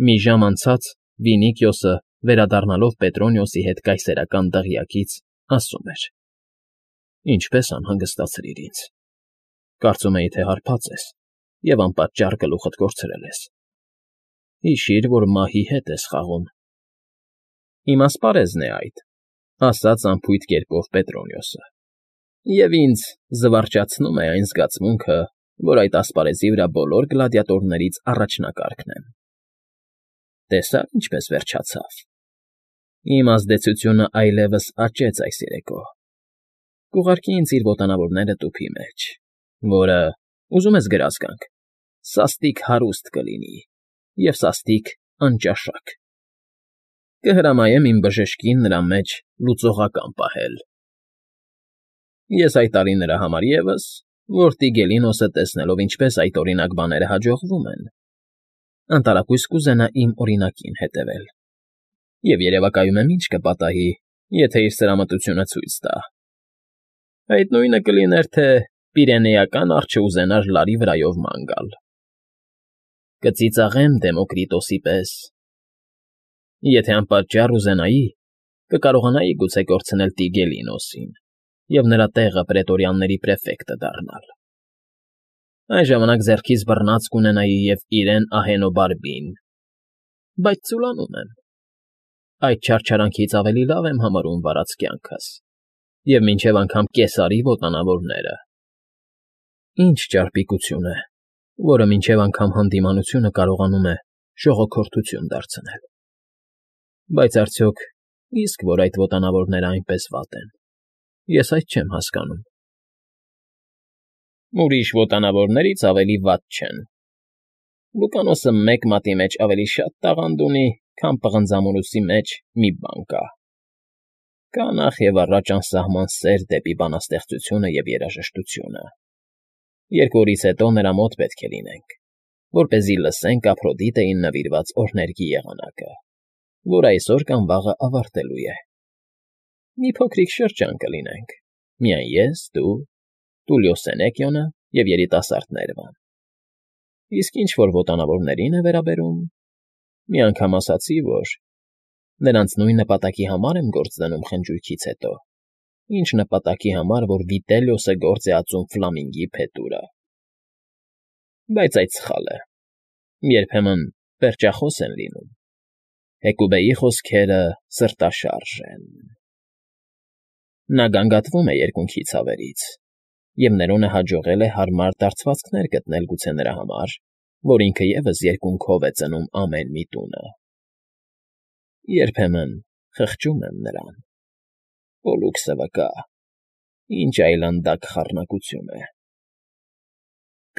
Մի ժամ անցած Վինիքիոսը, վերադառնալով Պետրոնիոսի հետ կայսերական դղյակից, ասում էր. «Ինչպես անհանգստացրիր ինձ. կարծում էի, թե հարբած ես և անպատճառ գլուխդ կորցրել ես։ Հիշիր, որ մահի հետ ես խաղում»։ «Իմ ասպարեզն է այդ», ասաց անփույթ կերպով Պետրոնիոսը, «և ինձ զվարճացնում է այն զգացմունքը, որ այդ ասպարեզի վրա բոլոր գլադիատորներից առաջնակարգն եմ։ Տեսա՞ր ինչպես վերջացավ։ Իմ ազդեցությունն այլևս աճեց այս երեկո։ Կուղարկի ինձ իր ոտանավորները տուփի մեջ, որը, ուզում ես գրազ գանք, սաստիկ հարուստ կլինի և սաստիկ անճաշակ։ Կհրամայեմ իմ բժշկին նրա մեջ լուծողական պահել։ Ես հայտարարի նրա համար ևս, որ Տիգելինոսը տեսնելով ինչպես այդօրինակ բաները հաջողվում են, անտարակույս կուզենա իմ օրինակին հետևել, և երևակայում եմ ինչ կպատահի, եթե իր սրամտությունը ցույց տա։ Այդ նույնը կլիներ, թե Պիրենեական արջը ուզենար լարի վրայով ման գալ։ Կծիծաղեմ Դեմոկրիտոսի պես։ Եթե անպատճառ ուզենայի, կկարողանայի գուցե կորցնել Տիգելինոսին և նրա տեղը պրետորյանների պրեֆեկտը դառնալ։ Այն ժամանակ ձեռքիս բռնած կունենայի և իրեն Ահենոբարբին, բայց ծուլանում եմ։ Այդ չարչարանքից ավելի լավ եմ համարում վարած կյանքս և մինչև անգամ Կեսարի ոտանավորները։ Ինչ ճարպիկություն է, որը մինչև անգամ հանդիմանությունը կարողանում է ժողոքորթություն դարձնել։ Բայց արդյոք իսկ որ այդ ոտանավորները այնպես վատ են, ես այդ չեմ հասկանում։ Ուրիշ ոտանավորներից ավելի վատ չեն։ Լուկանոսը մեկ մատի մեջ ավելի շատ տաղանդ ունի, քան պղնձամորուսի մեջ մի բան կա։ Կա նախ և առաջ անսահման սեր դեպի բանաստեղծությունը և երաժշտությունը։ 2 օրից հետո նրա մոտ պետք է լինենք, որպեսզի լսենք Ափրոդիտեին նվիրված օրհներգի եղանակը, որ այսօր կամ վաղը ավարտելու է։ Մի փոքրիկ շրջան կլինենք, միայն ես, դու, Տուլիո Սենեկիոնը և երիտասարդ Ներվան։ Իսկ ինչ որ ոտանավորներին է վերաբերում, մի անգամ ասացի, որ նրանց նույն նպատակի համար եմ գործ դնում խնջույքից հետո, ինչ նպատակի համար, որ Վիտելիոսը գործ է ածում Ֆլամինգի փետուրը։ Բայց այդ սխալ է։ Երբեմն պերճախոս են լինում։ Հեկուբեի խոսքերը սրտաշարժ են։ Նա գանգատվում է երկունքի ցավերից, և Ներոնը հաջողել է հարմար դարձվածքներ գտնել գուցե նրա համար, որ ինքը ևս երկունքով է ծնում ամեն մի տունը։ Երբեմն խղճում եմ նրան։ Պոլուքսը վկա, ինչ այլանդակ խառնակություն է։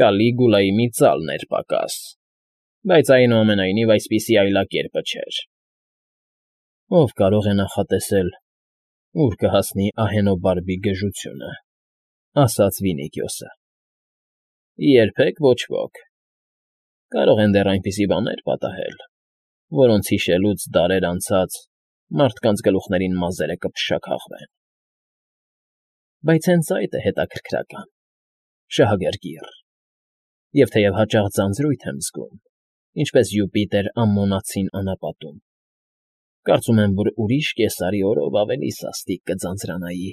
Կալիգուլայի մի ծալն էր պակաս, բայց այնուամենայնիվ այսպիսի այլակերպը չէր։ Ով կարող է նախատեսել, ուր կհասնի Ահենոբարբի գժությունը, ասաց Վինիքիոսը։ Երբեք ոչ ոք։ Կարող են դեռ այնպիսի բաներ պատահել, որոնց հիշելուց դարեր անցած մարդկանց գլուխներին մազերը կփշաքաղվեն։ Բայց հենց այդ է հետաքրքրական, շահագրգիռ, և թեև հաճախ ձանձրույթ եմ զգում, ինչպես Յուպիտեր Ամմոնացին անապատում, կարծում եմ, որ ուրիշ կեսարի օրով ավելի սաստիկ կձանձրանայի։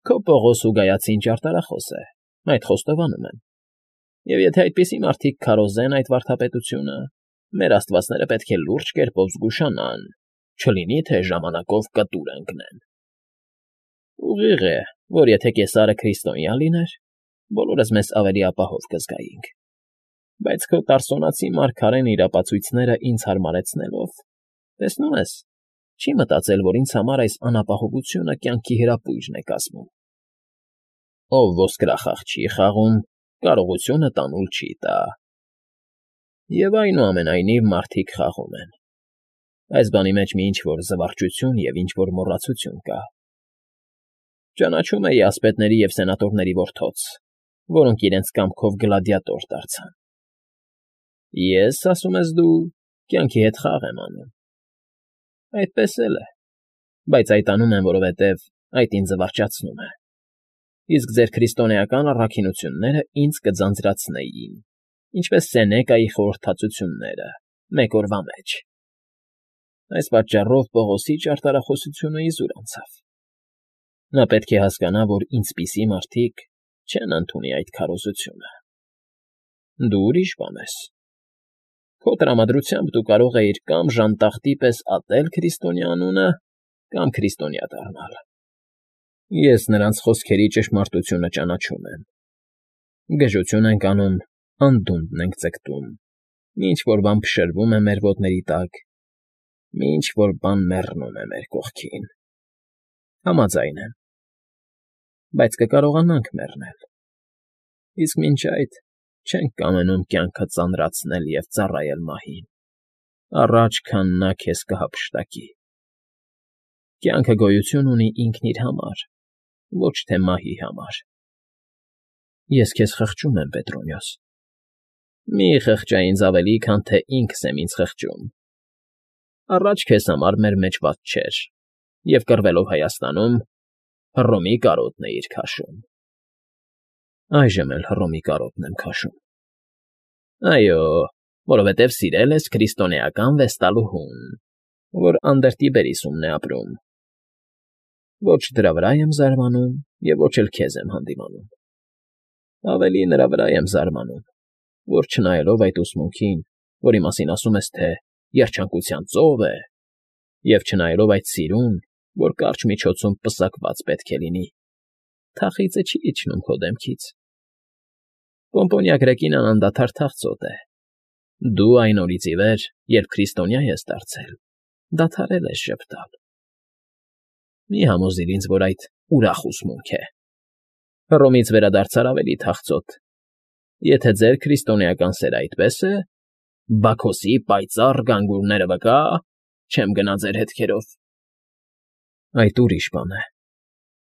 Քո Պողոս Ուգայացին ճարտարախոս է, այդ խոստովանում եմ, և եթե այդպիսի մարդիկ քարոզեն այդ վարդապետությունը, մեր աստվածները պետք է լուրջ կերպով զգուշանան, չլինի թե ժամանակով կտուր ընկնեն։ Ուղիղ է, որ եթե Կեսարը քրիստոնյա լիներ, բոլորս մեզ ավելի ապահով կզգայինք, բայց քո տարսոնացի մարգարեն իր ապացույցները ինձ հարմարեցնելով, տեսնում ես, չի մտածել, որ ինձ համար այս անապահովությունը կյանքի հրապույրն է կազմում։ Ով ոսկրախաղ չի խաղում, կարողությունը տանուլ չի տա։ Եվ այնուամենայնիվ մարդիկ խաղում են։ Այս բանի մեջ մի ինչ֊որ զվարճություն և ինչ֊որ մոռացություն կա։ Ճանաչում էի ասպետների և սենատորների որդոց, որոնք իրենց կամքով գլադիատոր դարձան։ Ես, ասում ես դու, կյանքի հետ խաղ եմ անում։ Այդպես էլ է, բայց այդ անում եմ, որովհետև այդ ինձ զվարճացնում է։ Իսկ ձեր քրիստոնեական առաքինությունները ինձ կձանձրացնեին, ինչպես Սենեկայի խորհրդածությունները, Մեկ օրվա մեջ։ Այս պատճառով Պողոսի ճարտարախոսությունը իզուր անցավ։ Նա պետք է հասկանա, որ ինձպիսի մարդիկ չեն ընդունի այդ քարոզությունը։ Դու ուրիշ բան ես։ Քո տրամադրությամբ դու կարող էիր կամ ժանտախտի պես ատել քրիստոնյա անունը, կամ քրիստոնյա դառնալ։ Ես նրանց խոսքերի ճշմարտությունը ճանաչում եմ։ Գժություն ենք անում, անդունդն ենք ձգտում, ինչ որ բան փշրվում է մեր ոտների տակ, ինչ որ բան մեռնում է մեր կողքին։ Համաձայն եմ։ Բայց կկարողանանք մեռնել։ Իսկ մինչ այդ չենք կամենում կյանքը ծանրացնել և ծառայել մահին, առաջ քան նա քեզ կհափշտակի։ Կյանքը գոյություն ունի ինքն իր համար, ոչ թե մահի համար։ Ես քեզ խղճում եմ, Պետրոնյոս։ Մի խղճա ինձ ավելի, քան թե ինքս եմ ինձ խղճում։ Առաջ քեզ համար մեր մեջ վատ չէր, և կռվելով Հայաստանում, Հռոմի կարոտն էիր քաշում։ Այժմ էլ Հռոմի կարոտն եմ քաշում։ Այո, որովհետև սիրել ես քրիստոնեական վեստալուհուն, որ Անդերտիբերիսումն է ապրում։ Ոչ դրա վրա եմ զարմանում և ոչ էլ քեզ եմ հանդիմանում։ Ավելի նրա վրա եմ զարմանում, որ չնայելով այդ ուսմունքին, որի մասին ասում ես, թե երջանկության ծով է, և չնայելով այդ սիրուն, որ կարճ միջոցում պսակված պետք է լինի, թախիծը չի իջնում քո դեմքից։ Պոմպոնյա Գրեկինան անդադար թախծոտ է։ Դու այն օրից ի վեր, երբ քրիստոնյա ես դարձել, դադարել ես ժպտալ։ Մի համոզիր ինձ, որ այդ ուրախ ուսմունք է։ Հռոմից վերադարձար ավելի թախծոտ։ Եթե ձեր քրիստոնեական սերը այդպես է, Բաքոսի պայծառ գանգուրները վկա, չեմ գնա ձեր հետքերով։ Այդ ուրիշ բան է,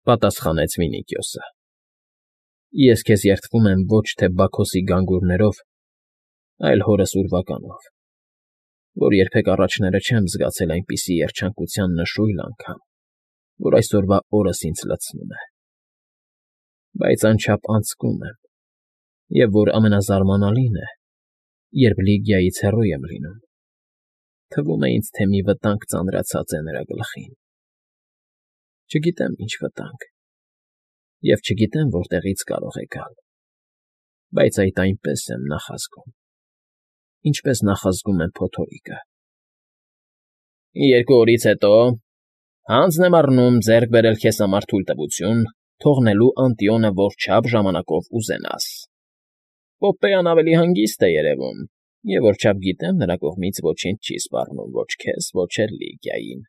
պատասխանեց Վինիքիոսը։ Ես քեզ երդվում եմ ոչ թե Բաքոսի գանգուրներով, այլ հորս ուրվականով, որ երբեք առաջները չեմ զգացել այնպիսի երջանկության նշույլ անգամ, որ այսօրվա օրս ինձ լցնում է։ Բայց անչափ անձկում եմ, և որ ամենազարմանալին է, երբ Լիգիայից հեռու եմ լինում, թվում է ինձ, թե մի վտանգ ծանրացած է նրա գլխին։ Չգիտեմ ինչ վտանգ, և չգիտեմ որտեղից կարող է գալ, բայց այդ այնպես եմ նախազգում, ինչպես նախազգում եմ փոթորիկը։ 2 օրից հետո հանձն եմ առնում ձեռք բերել քեզ համար թույլտվություն թողնելու Անտիոնը որչափ ժամանակով ուզենաս։ Պոպեան ավելի հանգիստ է երևում, և որչափ գիտեմ, նրա կողմից ոչինչ չի սպառնում ոչ քեզ, ոչ էլ Լիգիային։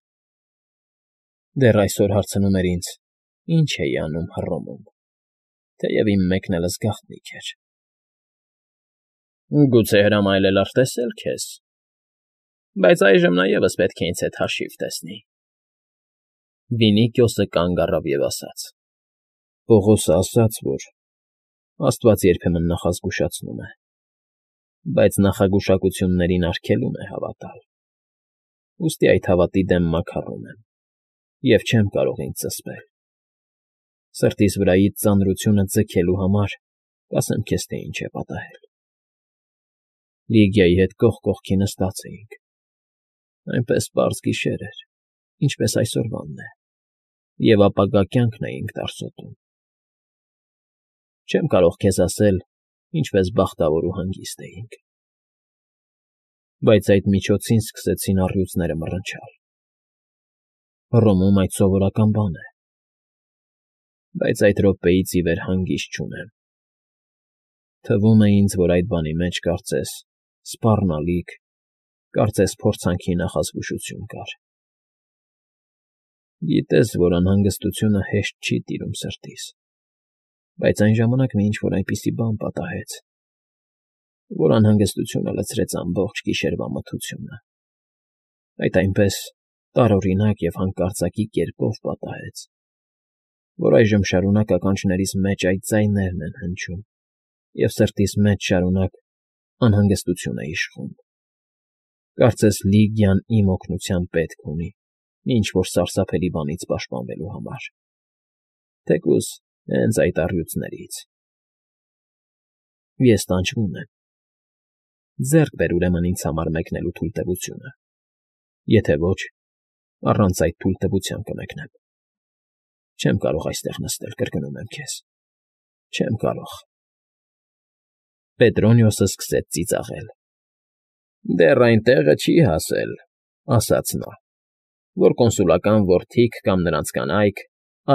Դեռ այսօր հարցնում էր ինձ. ինչ էի անում Հռոմում, թեև իմ մեկնելս գաղտնիք էր։ Գուցե հրամայել արտեսել քեզ, բայց այժմ նա ևս պետք է ինձ հետ հաշիվ տեսնի։ Վինիքիոսը կանգ առավ և ասաց. Պողոսը ասաց, որ Աստված երբեմն նախազգուշացնում է, բայց նախագուշակություններին արգելում է հավատալ։ Ուստի այդ հավատի դեմ մաքարում եմ և չեմ կարող ինձ զսպել։ Սրտիս վրայից ծանրությունը ձգելու համար կասեմ քեզ, թե ինչ է պատահել։ Լիգիայի հետ կողք կողքի նստած էինք։ Այնպես պարզ գիշեր էր, ինչպես այսօրվանն է, և ապագա կյանքն էինք տարսոտում։ Չեմ կարող քեզ ասել, ինչպես բախտավոր ու հանգիստ էինք։ Բայց այդ միջոցին սկսեցին առյուծները մռնչալ։ Հռոմում այդ սովորական բան է։ Բայց այդ րոպեից ի վեր հանգիստ չունեմ։ Թվում է ինձ, որ այդ բանի մեջ կարծես սպառնալիք, կարծես փորձանքի նախազգուշություն կար։ Գիտես, որ անհանգստությունը հեշտ չի տիրում սրտիս, բայց այն ժամանակ մի ինչ-որ այնպիսի բան պատահեց, որ անհանգստությունը լցրեց ամբողջ գիշերվա մթությունը։ Այդ այնպես տարօրինակ և հանկարծակի կերպով պատահեց, որ այժմ շարունակ ականջներիս մեջ այդ ձայներն են հնչում, և սրտիս մեջ շարունակ անհանգստություն է իշխում։ Կարծես Լիգիան իմ օգնության պետք ունի ինչ֊որ սարսափելի բանից պաշտպանվելու համար, թեկուզ հենց այդ առյուծներից։ Ես տանջվում եմ։ Ձեռք բեր ուրեմն ինձ համար մեկնելու թույլտվությունը, եթե ոչ, առանց այդ թույլտվության կմեկնեմ։ Չեմ կարող այստեղ նստել, կրկնում եմ քեզ, չեմ կարող։ Պետրոնիոսը սկսեց ծիծաղել։ Դեռ այն տեղը չի հասել, ասաց նա, որ կոնսուլական որդիք կամ նրանց կանայք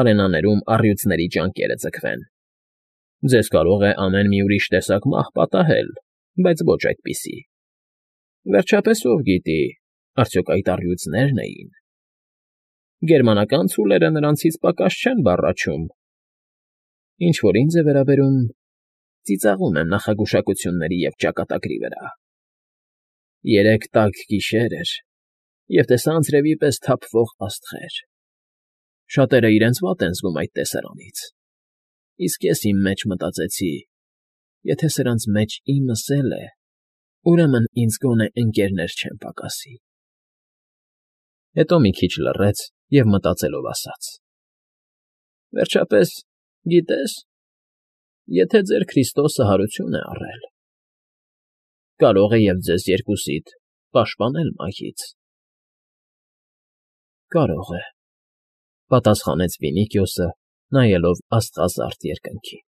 արենաներում առյուծների ճանկերը ձգվեն։ Ձեզ կարող է ամեն մի ուրիշ տեսակ մահ պատահել, բայց ոչ այդպիսի։ Վերջապես ով գիտի, արդյոք այդ առյուծնե՞րն էին։ Գերմանական ցուլերը նրանցից պակաս չեն բառաչում։ Ինչ որ ինձ է վերաբերում, ծիծաղում եմ նախագուշակությունների և ճակատագրի վրա։ Երեկ տաք գիշեր էր, և տեսա անձրևի պես թափվող աստղեր։ Շատերը իրենց վատ են զգում այդ տեսարանից, իսկ ես իմ մեջ մտածեցի. եթե սրանց մեջ իմս էլ է, ուրեմն ինձ գոնե ընկներներ չեն պակասի։ Հետո մի քիչ լռեց և մտածելով ասաց. Վերջապես, գիտես, եթե ձեր Քրիստոսը հարություն է առել, կարող է և ձեզ երկուսիդ պաշտպանել մահից։ Կարող է, պատասխանեց Վինիքիոսը, նայելով աստղազարդ երկնքին։